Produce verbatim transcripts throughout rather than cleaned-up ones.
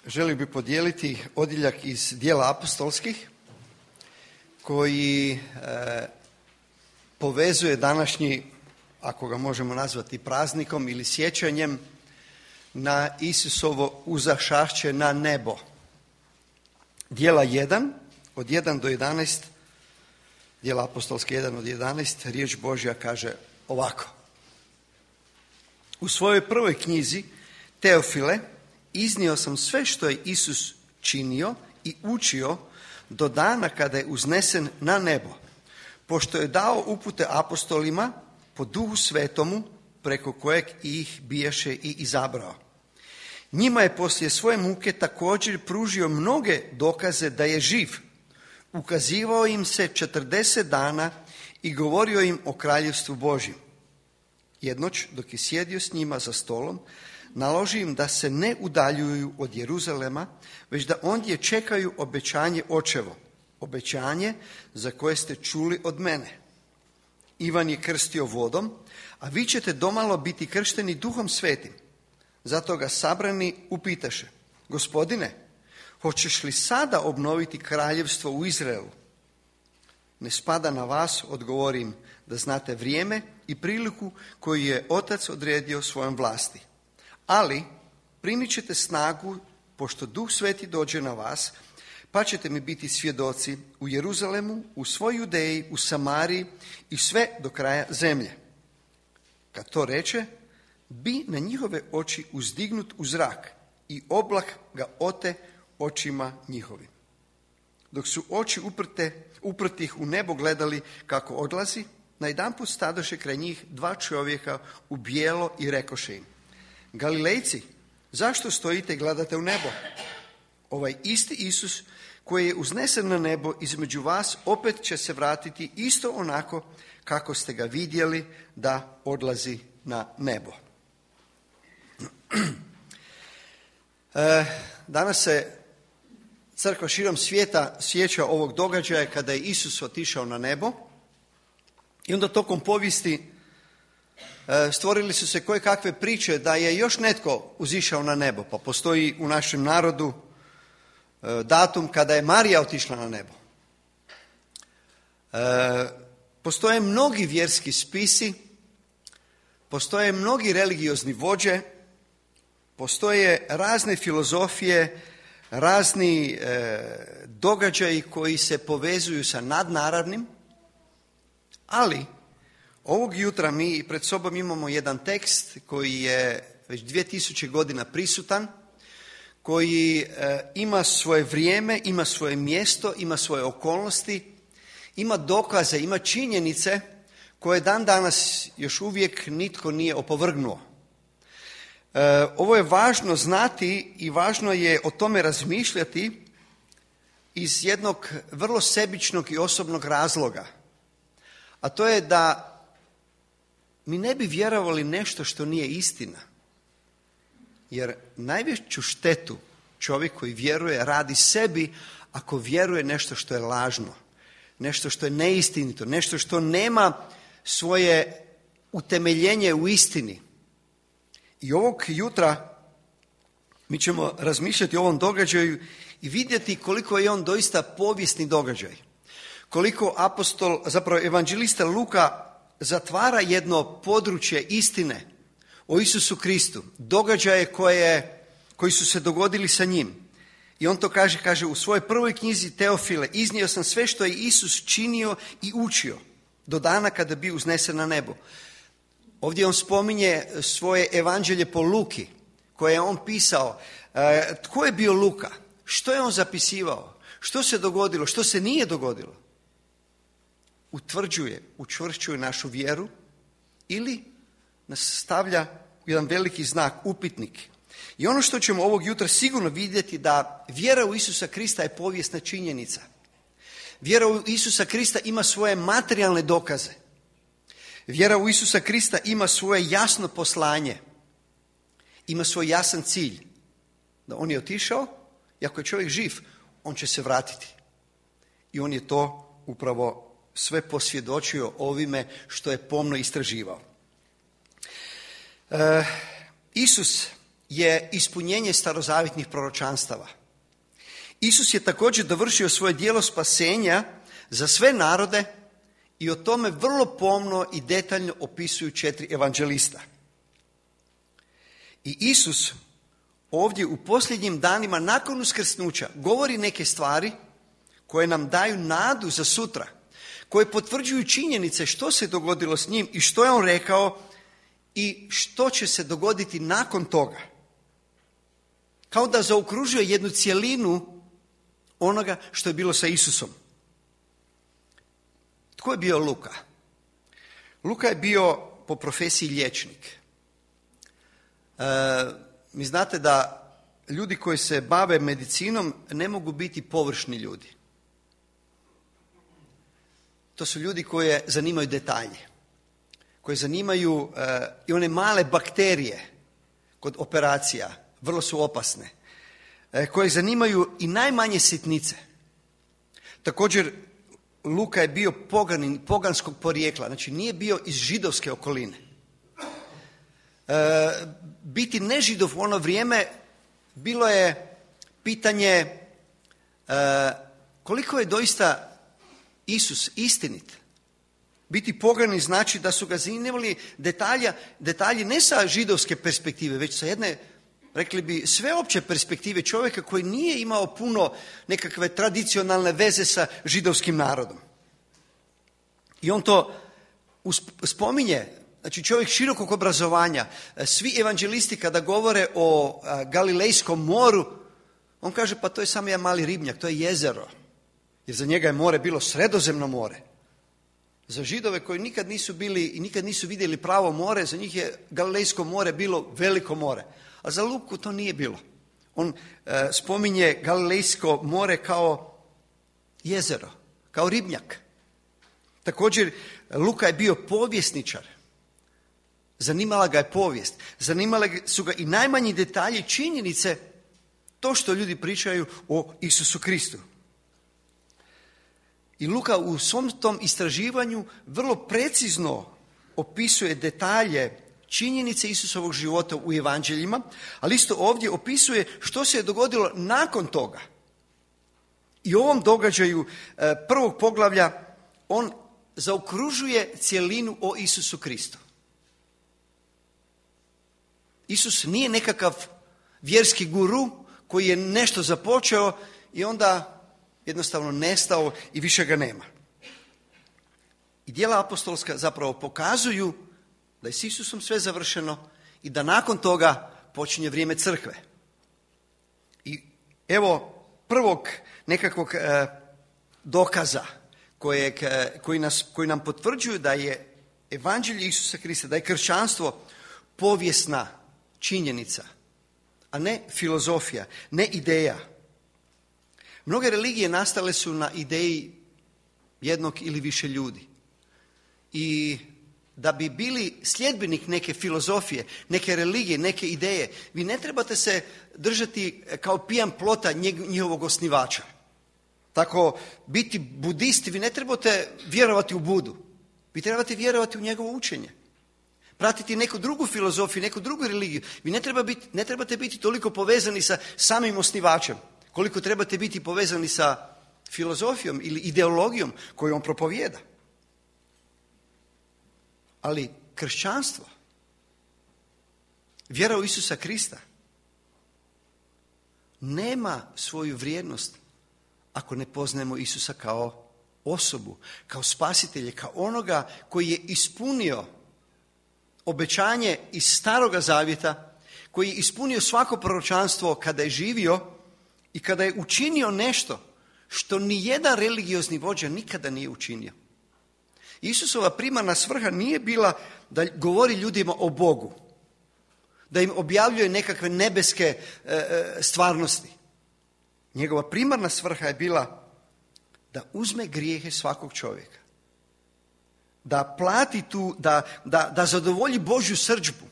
želio bih podijeliti odjeljak iz Djela apostolskih koji e, povezuje današnji, ako ga možemo nazvati praznikom ili sjećanjem, na Isusovo uzašašće na nebo. Djela jedan, od jedan do jedanaest, Djela apostolske jedan od jedanaest, riječ Božja kaže ovako. U svojoj prvoj knjizi, Teofile, iznio sam sve što je Isus činio i učio do dana kada je uznesen na nebo, pošto je dao upute apostolima po Duhu Svetomu, preko kojeg ih bijaše i izabrao. Njima je poslije svoje muke također pružio mnoge dokaze da je živ. Ukazivao im se četrdeset dana i govorio im o kraljevstvu Božjem. Jednoć, dok je sjedio s njima za stolom, naloži im da se ne udaljuju od Jeruzalema, već da ondje čekaju obećanje očevo, obećanje za koje ste čuli od mene. Ivan je krstio vodom, a vi ćete domalo biti kršteni Duhom Svetim. Zato ga sabrani upitaše: Gospodine, hoćeš li sada obnoviti kraljevstvo u Izraelu? Ne spada na vas, odgovorim, da znate vrijeme i priliku koju je Otac odredio svojom vlasti. Ali primit ćete snagu, pošto Duh Sveti dođe na vas, pa ćete mi biti svjedoci u Jeruzalemu, u svoj Judeji, u Samariji i sve do kraja zemlje. Kad to reče, bi na njihove oči uzdignut u zrak i oblak ga ote očima njihovim. Dok su oči uprte, uprtih u nebo gledali kako odlazi, najedanput stadoše kraj njih dva čovjeka u bijelo i rekoše im: Galilejci, zašto stojite i gledate u nebo? Ovaj isti Isus koji je uznesen na nebo između vas opet će se vratiti isto onako kako ste ga vidjeli da odlazi na nebo. E, danas se crkva širom svijeta sjeća ovog događaja kada je Isus otišao na nebo i onda tokom povijesti e, stvorili su se koje kakve priče da je još netko uzišao na nebo, pa postoji u našem narodu e, datum kada je Marija otišla na nebo. E, postoje mnogi vjerski spisi, postoje mnogi religiozni vođe, postoje razne filozofije, razni e, događaji koji se povezuju sa nadnaravnim, ali ovog jutra mi pred sobom imamo jedan tekst koji je već dvije tisuće godina prisutan, koji e, ima svoje vrijeme, ima svoje mjesto, ima svoje okolnosti, ima dokaze, ima činjenice koje dan danas još uvijek nitko nije opovrgnuo. E, ovo je važno znati i važno je o tome razmišljati iz jednog vrlo sebičnog i osobnog razloga. A to je da mi ne bi vjerovali nešto što nije istina. Jer najveću štetu čovjek koji vjeruje radi sebi ako vjeruje nešto što je lažno, nešto što je neistinito, nešto što nema svoje utemeljenje u istini. I ovog jutra mi ćemo razmišljati o ovom događaju i vidjeti koliko je on doista povijesni događaj. Koliko apostol, zapravo evanđelista Luka zatvara jedno područje istine o Isusu Kristu, događaje koje, koji su se dogodili sa njim. I on to kaže, kaže u svojoj prvoj knjizi Teofile, iznio sam sve što je Isus činio i učio do dana kada bi uznesen na nebo. Ovdje on spominje svoje evanđelje po Luki, koje je on pisao. E, tko je bio Luka? Što je on zapisivao? Što se dogodilo? Što se nije dogodilo? Utvrđuje, učvršćuje našu vjeru ili nas stavlja u jedan veliki znak, upitnik. I ono što ćemo ovog jutra sigurno vidjeti da vjera u Isusa Krista je povijesna činjenica. Vjera u Isusa Krista ima svoje materijalne dokaze. Vjera u Isusa Krista ima svoje jasno poslanje. Ima svoj jasan cilj. Da on je otišao i ako je čovjek živ, on će se vratiti. I on je to upravo sve posvjedočio ovime što je pomno istraživao. E, Isus je ispunjenje starozavjetnih proročanstava. Isus je također dovršio svoje djelo spasenja za sve narode i o tome vrlo pomno i detaljno opisuju četiri evanđelista. I Isus ovdje u posljednjim danima nakon uskrsnuća govori neke stvari koje nam daju nadu za sutra, koje potvrđuju činjenice što se dogodilo s njim i što je on rekao i što će se dogoditi nakon toga. Kao da zaokružuje jednu cjelinu onoga što je bilo sa Isusom. Tko je bio Luka? Luka je bio po profesiji liječnik. E, mi znate da ljudi koji se bave medicinom ne mogu biti površni ljudi. To su ljudi koje zanimaju detalje, koje zanimaju e, i one male bakterije kod operacija, vrlo su opasne, e, koje zanimaju i najmanje sitnice. Također, Luka je bio poganin, poganskog porijekla, znači nije bio iz židovske okoline. E, biti nežidov u ono vrijeme bilo je pitanje e, koliko je doista Isus istinit. Biti poganin znači da su ga zanimali detalja, detalji ne sa židovske perspektive, već sa jedne, rekli bi, sveopće perspektive čovjeka koji nije imao puno nekakve tradicionalne veze sa židovskim narodom. I on to spominje, znači čovjek širokog obrazovanja. Svi evanđelisti kada govore o Galilejskom moru, on kaže pa to je samo jedan mali ribnjak, to je jezero. Jer za njega je more bilo Sredozemno more. Za Židove koji nikad nisu bili i nikad nisu vidjeli pravo more, za njih je Galilejsko more bilo veliko more. A za Luku to nije bilo. On e, spominje Galilejsko more kao jezero, kao ribnjak. Također, Luka je bio povjesničar. Zanimala ga je povijest. Zanimale su ga i najmanji detalji, činjenice, to što ljudi pričaju o Isusu Kristu. I Luka u svom tom istraživanju vrlo precizno opisuje detalje, činjenice Isusovog života u evanđeljima, ali isto ovdje opisuje što se je dogodilo nakon toga. I u ovom događaju prvog poglavlja on zaokružuje cjelinu o Isusu Kristu. Isus nije nekakav vjerski guru koji je nešto započeo i onda jednostavno nestao i više ga nema. I djela apostolska zapravo pokazuju da je s Isusom sve završeno i da nakon toga počinje vrijeme crkve. I evo prvog nekakvog e, dokaza kojeg, koji, nas, koji nam potvrđuju da je evanđelje Isusa Krista, da je kršćanstvo povijesna činjenica, a ne filozofija, ne ideja. Mnoge religije nastale su na ideji jednog ili više ljudi. I da bi bili sljedbenik neke filozofije, neke religije, neke ideje, vi ne trebate se držati kao pijan plota njihovog osnivača. Tako, biti budisti, vi ne trebate vjerovati u Budu. Vi trebate vjerovati u njegovo učenje. Pratiti neku drugu filozofiju, neku drugu religiju. Vi ne, treba biti, ne trebate biti toliko povezani sa samim osnivačem, koliko trebate biti povezani sa filozofijom ili ideologijom koju on propovijeda. Ali kršćanstvo, vjera u Isusa Krista, nema svoju vrijednost ako ne poznajemo Isusa kao osobu, kao spasitelje, kao onoga koji je ispunio obećanje iz Staroga Zavjeta, koji je ispunio svako proročanstvo kada je živio i kada je učinio nešto što ni jedan religiozni vođa nikada nije učinio. Isusova primarna svrha nije bila da govori ljudima o Bogu, da im objavljuje nekakve nebeske e, stvarnosti. Njegova primarna svrha je bila da uzme grijehe svakog čovjeka, da plati tu, da, da, da zadovolji Božju srdžbu,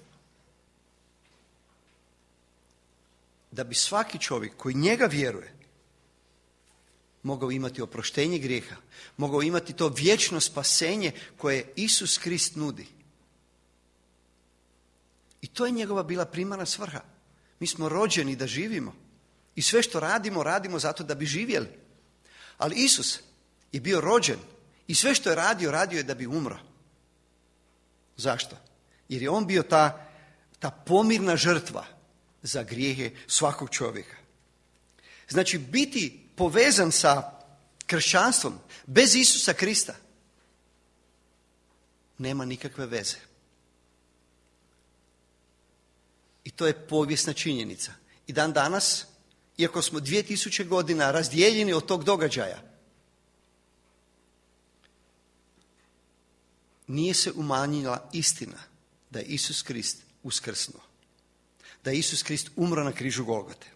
da bi svaki čovjek koji njega vjeruje mogao imati oproštenje grijeha, mogao imati to vječno spasenje koje Isus Krist nudi. I to je njegova bila primarna svrha. Mi smo rođeni da živimo. I sve što radimo, radimo zato da bi živjeli. Ali Isus je bio rođen i sve što je radio, radio je da bi umro. Zašto? Jer je on bio ta, ta pomirna žrtva za grijehe svakog čovjeka. Znači, biti povezan sa kršćanstvom bez Isusa Krista nema nikakve veze. I to je povijesna činjenica. I dan danas, iako smo dvije tisuće godina razdijeljeni od tog događaja, nije se umanjila istina da je Isus Krist uskrsnuo. Da je Isus Krist umro na križu Golgote.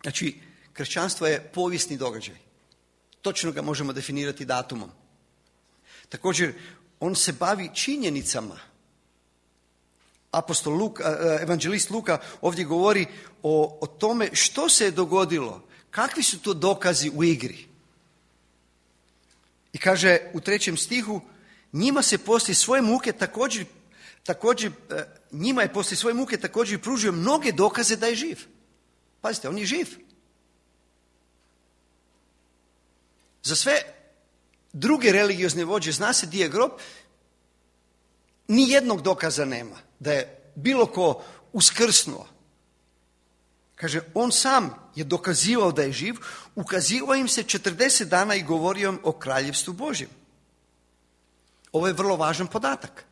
Znači, kršćanstvo je povijesni događaj. Točno ga možemo definirati datumom. Također, on se bavi činjenicama. Apostol Luka, evanđelist Luka ovdje govori o, o tome što se je dogodilo, kakvi su to dokazi u igri. I kaže u trećem stihu, njima se poslije svoje muke također, također njima je poslije svoje muke također pružio mnoge dokaze da je živ. Pazite, on je živ. Za sve druge religiozne vođe, zna se di je grob, ni jednog dokaza nema da je bilo ko uskrsnuo. Kaže, on sam je dokazivao da je živ, ukazivao im se četrdeset dana i govorio im o kraljevstvu Božjem. Ovo je vrlo važan podatak.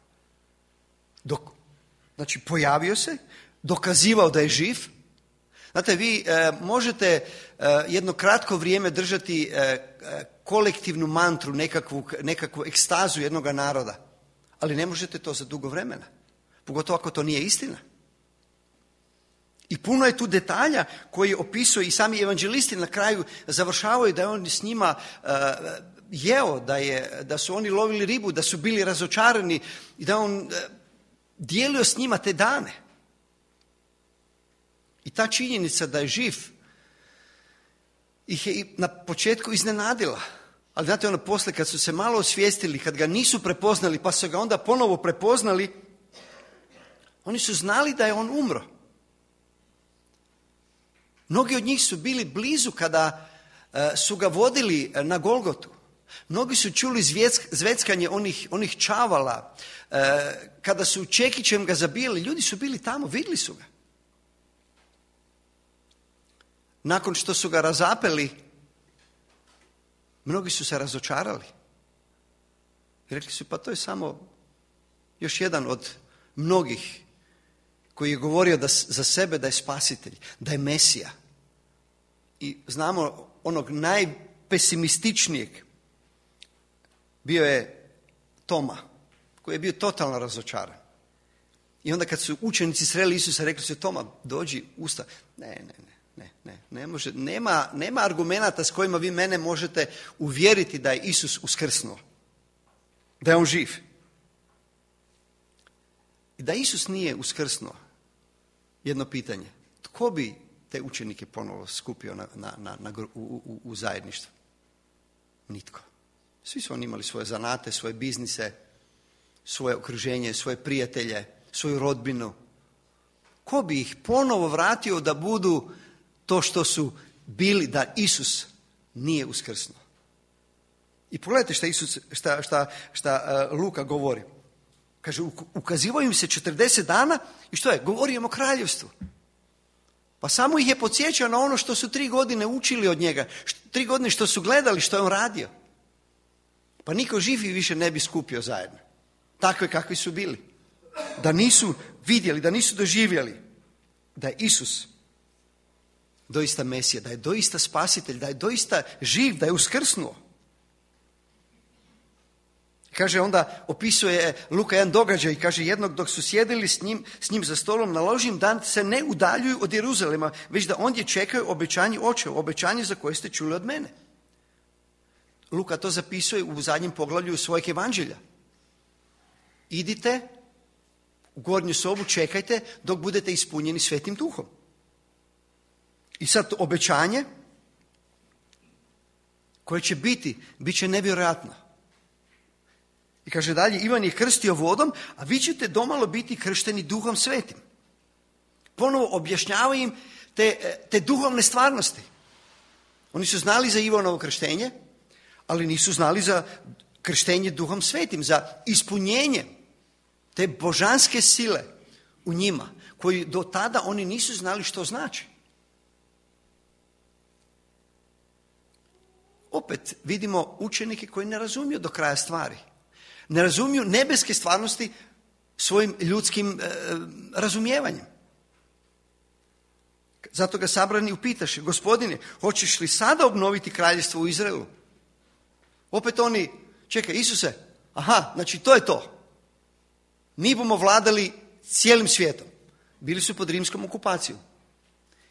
Dok, znači, pojavio se, dokazivao da je živ. Znate, vi e, možete e, jedno kratko vrijeme držati e, kolektivnu mantru, nekakvu, nekakvu ekstazu jednog naroda, ali ne možete to za dugo vremena. Pogotovo ako to nije istina. I puno je tu detalja koji opisuje i sami evanđelisti na kraju završavaju da je on s njima uh, jeo, da, je, da su oni lovili ribu, da su bili razočarani i da on uh, dijelio s njima te dane. I ta činjenica da je živ ih je i na početku iznenadila. Ali znate, ono poslije kad su se malo osvijestili, kad ga nisu prepoznali pa su ga onda ponovo prepoznali, oni su znali da je on umro. Mnogi od njih su bili blizu kada uh, su ga vodili na Golgotu. Mnogi su čuli zvjeck, zveckanje onih, onih čavala. Uh, kada su čekićem ga zabijali, ljudi su bili tamo, vidjeli su ga. Nakon što su ga razapeli, mnogi su se razočarali. I rekli su, pa to je samo još jedan od mnogih koji je govorio da, za sebe da je spasitelj, da je Mesija. I znamo onog najpesimističnijeg, bio je Toma, koji je bio totalno razočaran. I onda kad su učenici sreli Isusa, rekli su, Toma, dođi, usta. Ne, ne, ne, ne, ne, ne može, nema, nema argumenata s kojima vi mene možete uvjeriti da je Isus uskrsnuo, da je on živ. I da Isus nije uskrsnuo, jedno pitanje, tko bi te učenike ponovo skupio na, na, na, na, u, u, u zajedništvo? Nitko. Svi su oni imali svoje zanate, svoje biznise, svoje okruženje, svoje prijatelje, svoju rodbinu. Ko bi ih ponovo vratio da budu to što su bili da Isus nije uskrsnuo? I pogledajte šta, Isus, šta, šta, šta uh, Luka govori. Kaže, ukazivao im se četrdeset dana i što je? Govorio im o kraljevstvu. Pa samo ih je podsjećao na ono što su tri godine učili od njega. Tri godine što su gledali što je on radio. Pa niko živi više ne bi skupio zajedno. Takve kakvi su bili. Da nisu vidjeli, da nisu doživjeli da je Isus doista Mesija, da je doista spasitelj, da je doista živ, da je uskrsnuo. Kaže, onda opisuje Luka jedan događaj i kaže, jednog dok su sjedili s njim, s njim za stolom, naložim da se ne udaljuju od Jeruzalema, već da ondje čekaju obećanje očevu, obećanje za koje ste čuli od mene. Luka to zapisuje u zadnjem poglavlju svojeg evanđelja. Idite u gornju sobu, čekajte dok budete ispunjeni Svetim Duhom. I sad obećanje koje će biti, bit će nevjerojatno. I kaže dalje, Ivan je krstio vodom, a vi ćete domalo biti kršteni Duhom Svetim. Ponovo objašnjava im te, te duhovne stvarnosti. Oni su znali za Ivanovo krštenje, ali nisu znali za krštenje Duhom Svetim, za ispunjenje te božanske sile u njima, koji do tada oni nisu znali što znači. Opet vidimo učenike koji ne razumiju do kraja stvari. Ne razumiju nebeske stvarnosti svojim ljudskim e, razumijevanjem. Zato ga sabrani upitaše, gospodine, hoćeš li sada obnoviti kraljevstvo u Izraelu? Opet oni, čekaj, Isuse, aha, znači to je to. Mi bomo vladali cijelim svijetom. Bili su pod rimskom okupacijom.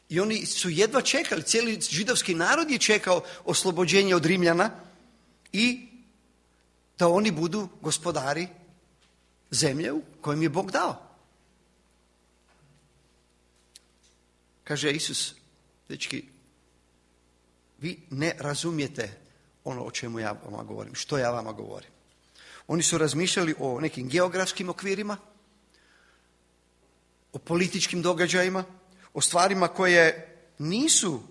I oni su jedva čekali, cijeli židovski narod je čekao oslobođenje od Rimljana i da oni budu gospodari zemlje u kojem je Bog dao. Kaže Isus, dečki, vi ne razumijete ono o čemu ja vama govorim, što ja vama govorim. Oni su razmišljali o nekim geografskim okvirima, o političkim događajima, o stvarima koje nisu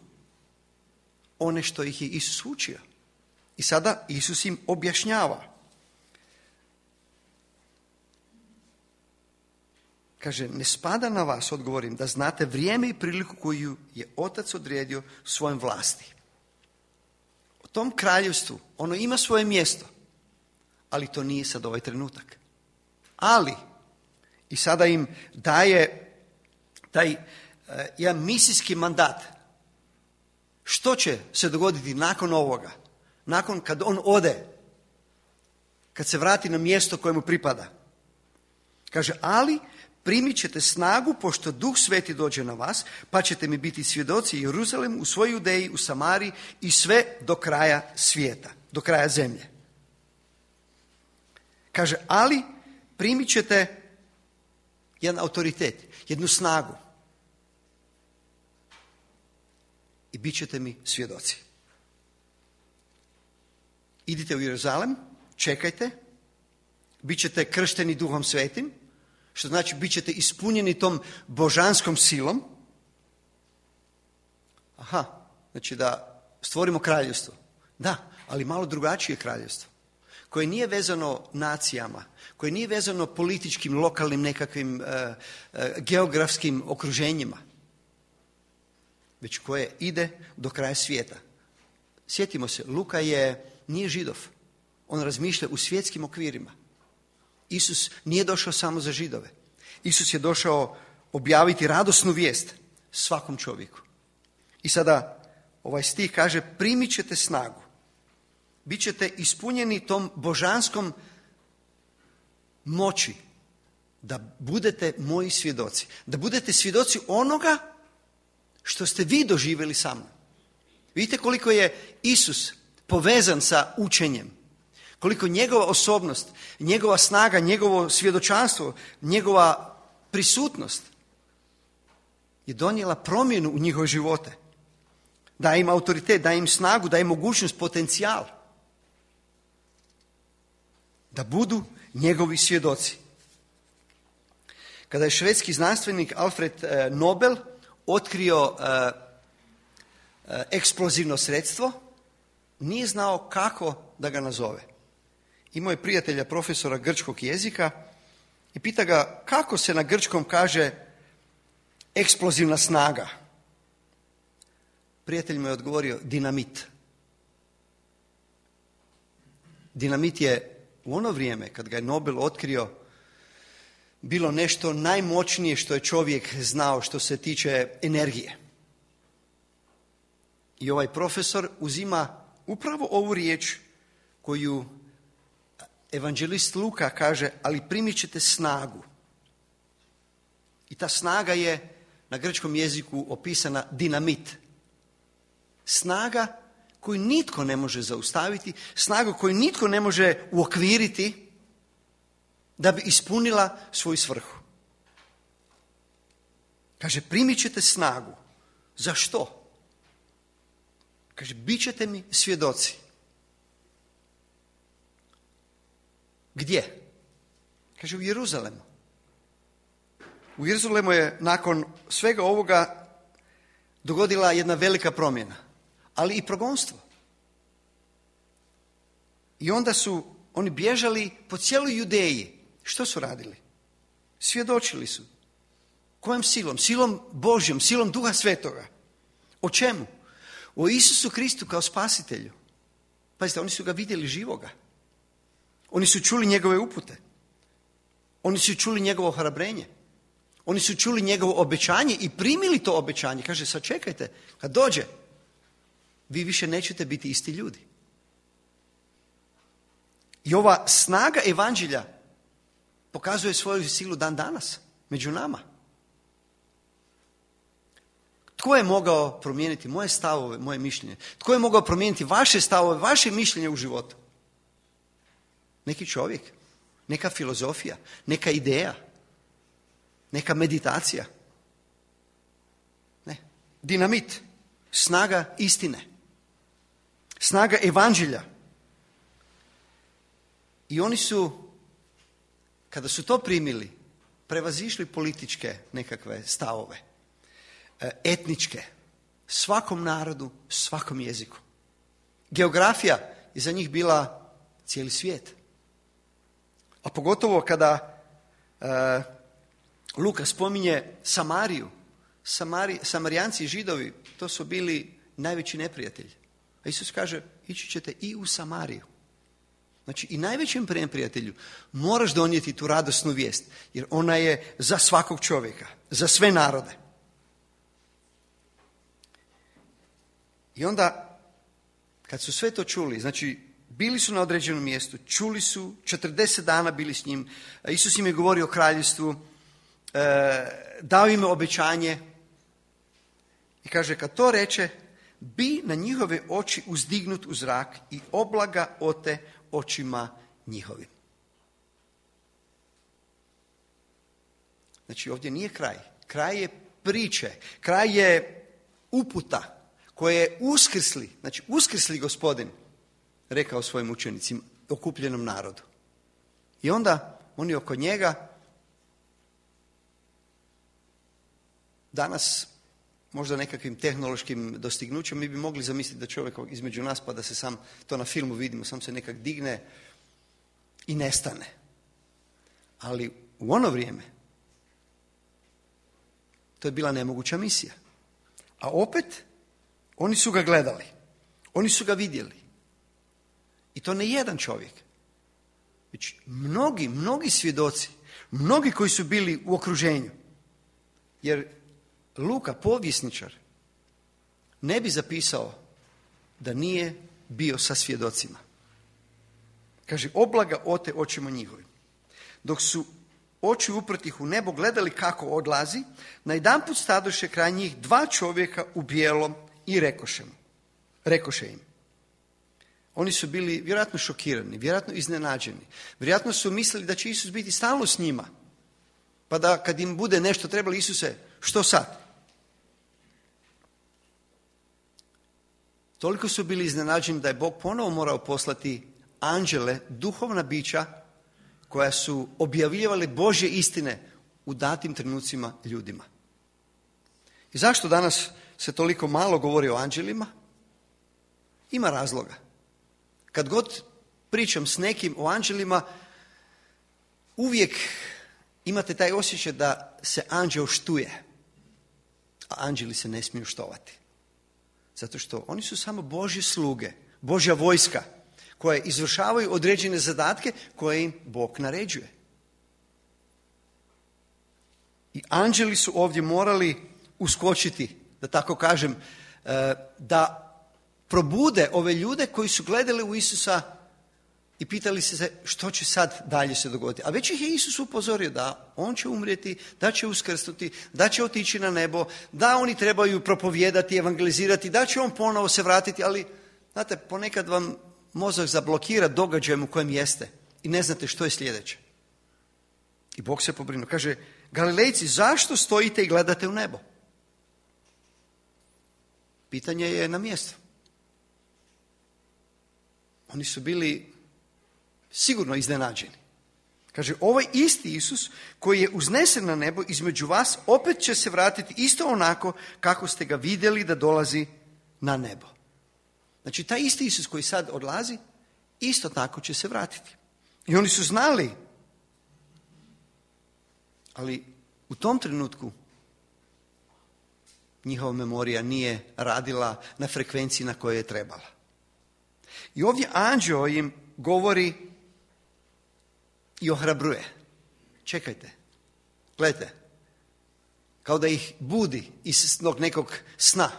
one što ih je Isus učio. I sada Isus im objašnjava. Kaže, ne spada na vas, odgovorim, da znate vrijeme i priliku koju je Otac odredio svojom vlasti. U tom kraljevstvu ono ima svoje mjesto, ali to nije sad ovaj trenutak. Ali, i sada im daje taj uh, jedan misijski mandat. Što će se dogoditi nakon ovoga? Nakon kad on ode, kad se vrati na mjesto koje mu pripada. Kaže, ali primit ćete snagu pošto Duh Sveti dođe na vas, pa ćete mi biti svjedoci u Jeruzalemu, u svojoj Judeji, u Samariji i sve do kraja svijeta, do kraja zemlje. Kaže, ali primit ćete jedan autoritet, jednu snagu i bit ćete mi svjedoci. Idite u Jeruzalem, čekajte, bit ćete kršteni Duhom Svetim, što znači bit ćete ispunjeni tom božanskom silom. Aha, znači da stvorimo kraljevstvo. Da, ali malo drugačije kraljevstvo, koje nije vezano nacijama, koje nije vezano političkim, lokalnim nekakvim uh, uh, geografskim okruženjima, već koje ide do kraja svijeta. Sjetimo se, Luka je, nije Židov, on razmišlja u svjetskim okvirima. Isus nije došao samo za Židove. Isus je došao objaviti radosnu vijest svakom čovjeku. I sada ovaj stih kaže, primit ćete snagu. Bićete ispunjeni tom božanskom moći da budete moji svjedoci. Da budete svjedoci onoga što ste vi doživjeli sa mnom. Vidite koliko je Isus povezan sa učenjem. Koliko njegova osobnost, njegova snaga, njegovo svjedočanstvo, njegova prisutnost je donijela promjenu u njihove živote. Daje im autoritet, daje im snagu, daje im mogućnost, potencijal da budu njegovi svjedoci. Kada je švedski znanstvenik Alfred Nobel otkrio eksplozivno sredstvo, nije znao kako da ga nazove. Imao je prijatelja profesora grčkog jezika i pita ga kako se na grčkom kaže eksplozivna snaga. Prijatelj mu je odgovorio dinamit. Dinamit je u ono vrijeme kad ga je Nobel otkrio bilo nešto najmoćnije što je čovjek znao što se tiče energije. I ovaj profesor uzima upravo ovu riječ koju evanđelist Luka kaže, ali primit ćete snagu. I ta snaga je na grčkom jeziku opisana dinamit. Snaga koju nitko ne može zaustaviti, snaga koju nitko ne može uokviriti da bi ispunila svoju svrhu. Kaže, primit ćete snagu. Za što? Kaže, bit ćete mi svjedoci. Gdje? Kaže, u Jeruzalemu. U Jeruzalemu je nakon svega ovoga dogodila jedna velika promjena, ali i progonstvo. I onda su oni bježali po cijeloj Judeji. Što su radili? Svjedočili su. Kojom silom? Silom Božjom, silom Duha Svetoga. O čemu? O Isusu Kristu kao spasitelju. Pazite, oni su ga vidjeli živoga. Oni su čuli njegove upute. Oni su čuli njegovo ohrabrenje. Oni su čuli njegovo obećanje i primili to obećanje. Kaže, sad čekajte, kad dođe, vi više nećete biti isti ljudi. I ova snaga evanđelja pokazuje svoju silu dan danas, među nama. Tko je mogao promijeniti moje stavove, moje mišljenje? Tko je mogao promijeniti vaše stavove, vaše mišljenje u životu? Neki čovjek, neka filozofija, neka ideja, neka meditacija. Ne. Dinamit, snaga istine, snaga evanđelja. I oni su, kada su to primili, prevazišli političke nekakve stavove, etničke, svakom narodu, svakom jeziku. Geografija je za njih bila cijeli svijet. A pogotovo kada e, Luka spominje Samariju, Samari, Samarijanci i Židovi, to su bili najveći neprijatelji. A Isus kaže, ići ćete i u Samariju. Znači i najvećem neprijatelju moraš donijeti tu radosnu vijest, jer ona je za svakog čovjeka, za sve narode. I onda, kad su sve to čuli, znači bili su na određenom mjestu, čuli su, četrdeset dana bili s njim, Isus im je govorio o kraljevstvu, e, dao im obećanje i kaže, kad to reče, bi na njihove oči uzdignut u zrak i oblaga ote očima njihovim. Znači ovdje nije kraj. Kraj je priče, kraj je uputa koje je uskrsli, znači uskrsli Gospodin rekao svojim učenicima, okupljenom narodu. I onda oni oko njega danas možda nekakvim tehnološkim dostignućem mi bi mogli zamisliti da čovjek između nas, pa da se sam, to na filmu vidimo, sam se nekak digne i nestane. Ali u ono vrijeme to je bila nemoguća misija. A opet oni su ga gledali, oni su ga vidjeli. I to ne jedan čovjek, već mnogi, mnogi svjedoci, mnogi koji su bili u okruženju. Jer Luka, povjesničar, ne bi zapisao da nije bio sa svjedocima. Kaže, oblaga ote očima njihovim. Dok su oči uprtih u nebo gledali kako odlazi, najedanput stadoše kraj njih dva čovjeka u bijelom i rekoše mu, rekoše im. Oni su bili vjerojatno šokirani, vjerojatno iznenađeni. Vjerojatno su mislili da će Isus biti stalno s njima. Pa da kad im bude nešto trebalo, Isuse, što sad? Toliko su bili iznenađeni da je Bog ponovo morao poslati anđele, duhovna bića, koja su objavljivali Božje istine u datim trenucima ljudima. I zašto danas se toliko malo govori o anđelima? Ima razloga. Kad god pričam s nekim o anđelima, uvijek imate taj osjećaj da se anđeo štuje, a anđeli se ne smiju štovati. Zato što oni su samo Božje sluge, Božja vojska, koje izvršavaju određene zadatke koje im Bog naređuje. I anđeli su ovdje morali uskočiti, da tako kažem, da probude ove ljude koji su gledali u Isusa i pitali se što će sad dalje se dogoditi. A već ih je Isus upozorio da on će umrijeti, da će uskrsnuti, da će otići na nebo, da oni trebaju propovijedati, evangelizirati, da će on ponovo se vratiti, ali znate, ponekad vam mozak zablokira događajem u kojem jeste i ne znate što je sljedeće. I Bog se pobrinuo. Kaže, Galilejci, zašto stojite i gledate u nebo? Pitanje je na mjestu. Oni su bili sigurno iznenađeni. Kaže, ovaj isti Isus koji je uznesen na nebo između vas, opet će se vratiti isto onako kako ste ga vidjeli da dolazi na nebo. Znači, taj isti Isus koji sad odlazi, isto tako će se vratiti. I oni su znali, ali u tom trenutku njihova memorija nije radila na frekvenciji na kojoj je trebala. I ovdje anđeo im govori i ohrabruje. Čekajte, gledajte, kao da ih budi iz nekog sna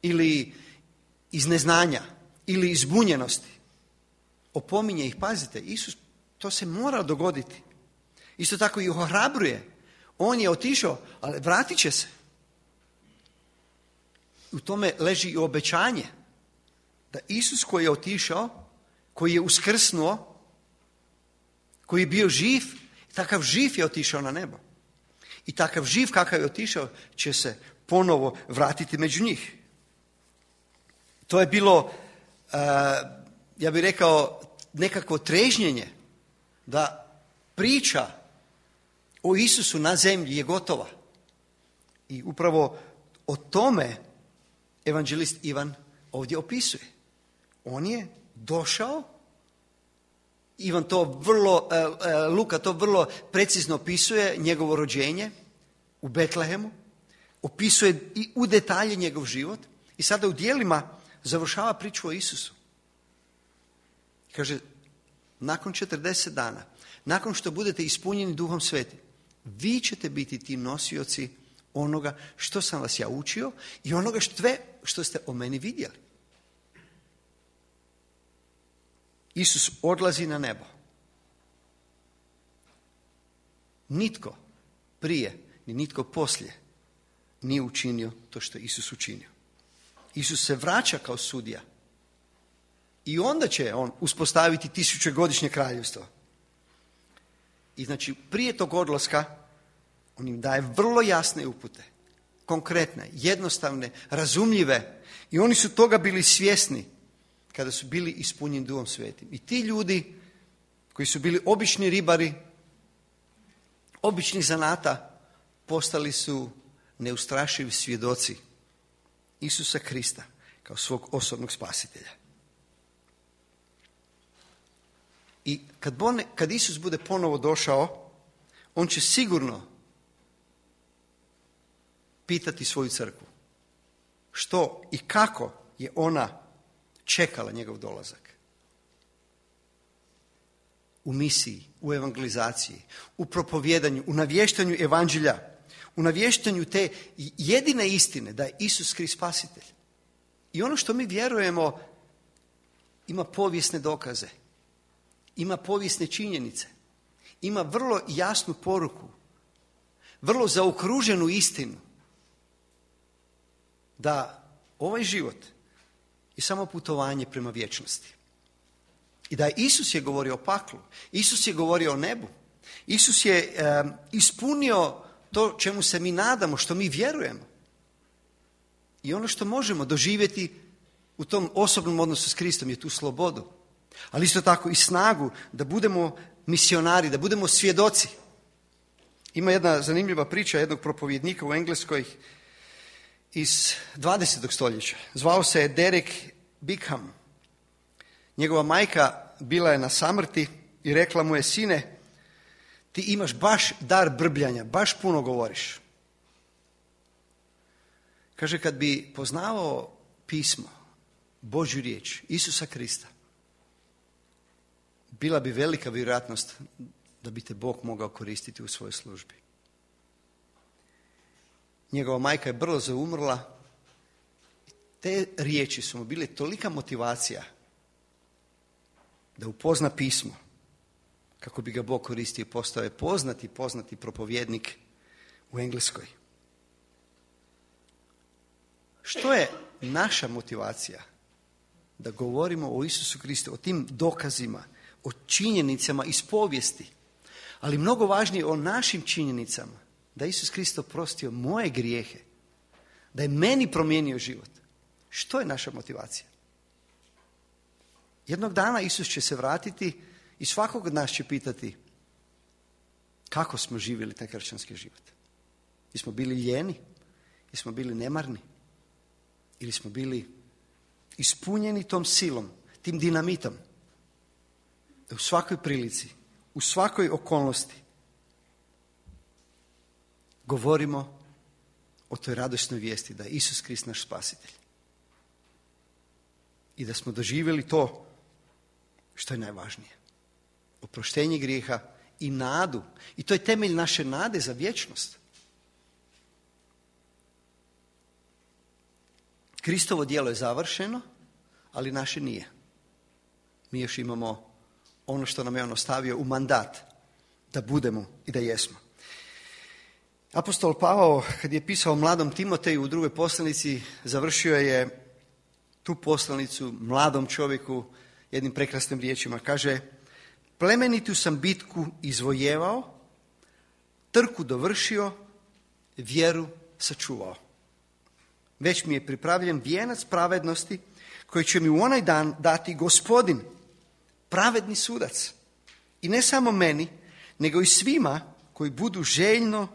ili iz neznanja ili iz zbunjenosti. Opominje ih, pazite, Isus, to se mora dogoditi. Isto tako ih ohrabruje. On je otišao, ali vratit će se. U tome leži i obećanje da Isus koji je otišao, koji je uskrsnuo, koji je bio živ, takav živ je otišao na nebo. I takav živ kakav je otišao će se ponovo vratiti među njih. To je bilo, uh, ja bih rekao, nekakvo trežnjenje da priča o Isusu na zemlji je gotova. I upravo o tome evanđelist Ivan ovdje opisuje. On je došao, Ivan to vrlo, Luka to vrlo precizno opisuje, njegovo rođenje u Betlehemu, opisuje i u detalje njegov život i sada u dijelima završava priču o Isusu. Kaže, nakon četrdeset dana, nakon što budete ispunjeni Duhom Svetim, vi ćete biti ti nosioci onoga što sam vas ja učio i onoga sve što ste o meni vidjeli. Isus odlazi na nebo. Nitko prije ni nitko poslije nije učinio to što je Isus učinio. Isus se vraća kao sudija i onda će on uspostaviti tisućegodišnje kraljevstvo. I znači prije tog odlaska on im daje vrlo jasne upute, konkretne, jednostavne, razumljive i oni su toga bili svjesni kada su bili ispunjeni Duhom Svetim. I ti ljudi koji su bili obični ribari, običnih zanata, postali su neustrašivi svjedoci Isusa Krista kao svog osobnog spasitelja. I kad, bone, kad Isus bude ponovo došao, on će sigurno pitati svoju crkvu što i kako je ona čekala njegov dolazak. U misiji, u evangelizaciji, u propovjedanju, u navještanju evanđelja, u navještanju te jedine istine da je Isus Krist spasitelj. I ono što mi vjerujemo ima povijesne dokaze, ima povijesne činjenice, ima vrlo jasnu poruku, vrlo zaokruženu istinu da ovaj život je samo putovanje prema vječnosti. I da Isus je govorio o paklu, Isus je govorio o nebu, Isus je um, ispunio to čemu se mi nadamo, što mi vjerujemo. I ono što možemo doživjeti u tom osobnom odnosu s Kristom je tu slobodu, ali isto tako i snagu da budemo misionari, da budemo svjedoci. Ima jedna zanimljiva priča jednog propovjednika u Engleskoj iz dvadesetog stoljeća. Zvao se je Derek Bickham. Njegova majka bila je na samrti i rekla mu je: sine, ti imaš baš dar brbljanja, baš puno govoriš. Kaže, kad bi poznavao pismo, Božju riječ, Isusa Krista, bila bi velika vjerojatnost da bi te Bog mogao koristiti u svojoj službi. Njegova majka je brzo umrla. Te riječi su mu bile tolika motivacija da upozna pismo kako bi ga Bog koristio. Postao je poznati, poznati propovjednik u Engleskoj. Što je naša motivacija da govorimo o Isusu Kristu, o tim dokazima, o činjenicama iz povijesti, ali mnogo važnije o našim činjenicama, da Isus Krist oprostio moje grijehe, da je meni promijenio život. Što je naša motivacija? Jednog dana Isus će se vratiti i svakog od nas će pitati: Kako smo živjeli taj kršćanski život? Jesmo bili lijeni? Jesmo bili nemarni? Ili smo bili ispunjeni tom silom, tim dinamitom? Da u svakoj prilici, u svakoj okolnosti govorimo o toj radosnoj vijesti da je Isus Krist naš spasitelj. I da smo doživjeli to što je najvažnije. Oproštenje grijeha i nadu. I to je temelj naše nade za vječnost. Kristovo djelo je završeno, ali naše nije. Mi još imamo ono što nam je on ostavio u mandat, da budemo i da jesmo. Apostol Pavao, kad je pisao mladom Timoteju u drugoj poslanici, završio je tu poslanicu mladom čovjeku jednim prekrasnim riječima. Kaže, plemenitu sam bitku izvojevao, trku dovršio, vjeru sačuvao. Već mi je pripravljen vijenac pravednosti koji će mi u onaj dan dati Gospodin, pravedni sudac. I ne samo meni, nego i svima koji budu željno,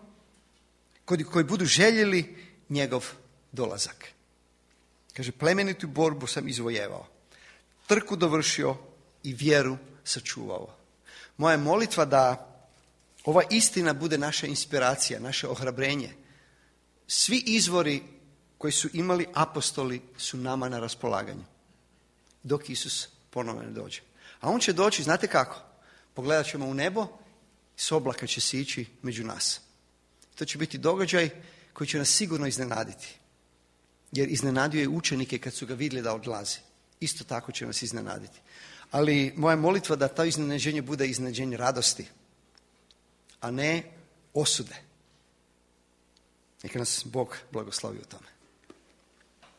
koji, koji budu željeli njegov dolazak. Kaže, plemenitu borbu sam izvojevao, trku dovršio i vjeru sačuvao. Moja je molitva da ova istina bude naša inspiracija, naše ohrabrenje. Svi izvori koji su imali apostoli su nama na raspolaganju, dok Isus ponovno ne dođe. A on će doći, znate kako? Pogledat ćemo u nebo, s oblaka će sići među nas. To će biti događaj koji će nas sigurno iznenaditi. Jer iznenadio je učenike kad su ga vidjeli da odlazi. Isto tako će nas iznenaditi. Ali moja molitva da to iznenađenje bude iznenađenje radosti, a ne osude. Neka nas Bog blagoslovi u tome.